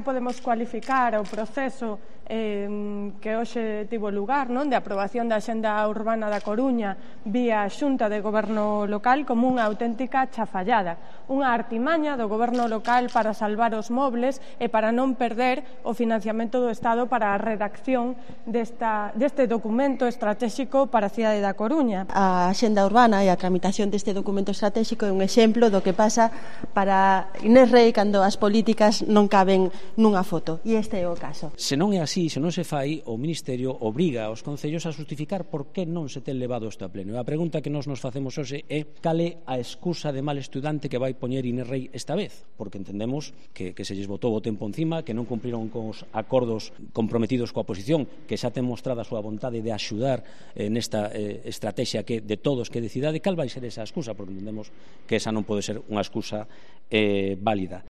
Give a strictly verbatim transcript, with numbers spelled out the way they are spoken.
Podemos cualificar o proceso eh, que hoxe tivo lugar, non, de aprobación da Axenda Urbana da Coruña vía Xunta de Goberno Local como unha auténtica chafallada, unha artimaña do Goberno Local para salvar os mobles e para non perder o financiamento do Estado para a redacción desta, deste documento estratégico para a cidade da Coruña. A Axenda Urbana e a tramitación deste documento estratégico é un exemplo do que pasa para Inés Rei cando as políticas non caben nunha foto, e este é o caso. Se non é así, se non se fai, o Ministerio obriga aos concellos a justificar por que non se ten levado isto a pleno. A pregunta que nós nos facemos hoxe é cal é a excusa de mal estudante que vai poñer Inés Rei esta vez, porque entendemos que, que se lles botou o tempo encima, que non cumpriron con os acordos comprometidos coa oposición, que xa ten mostrado a súa vontade de axudar eh, nesta eh, estrategia que de todos que decidade. Cal vai ser esa excusa, porque entendemos que esa non pode ser unha excusa eh, válida.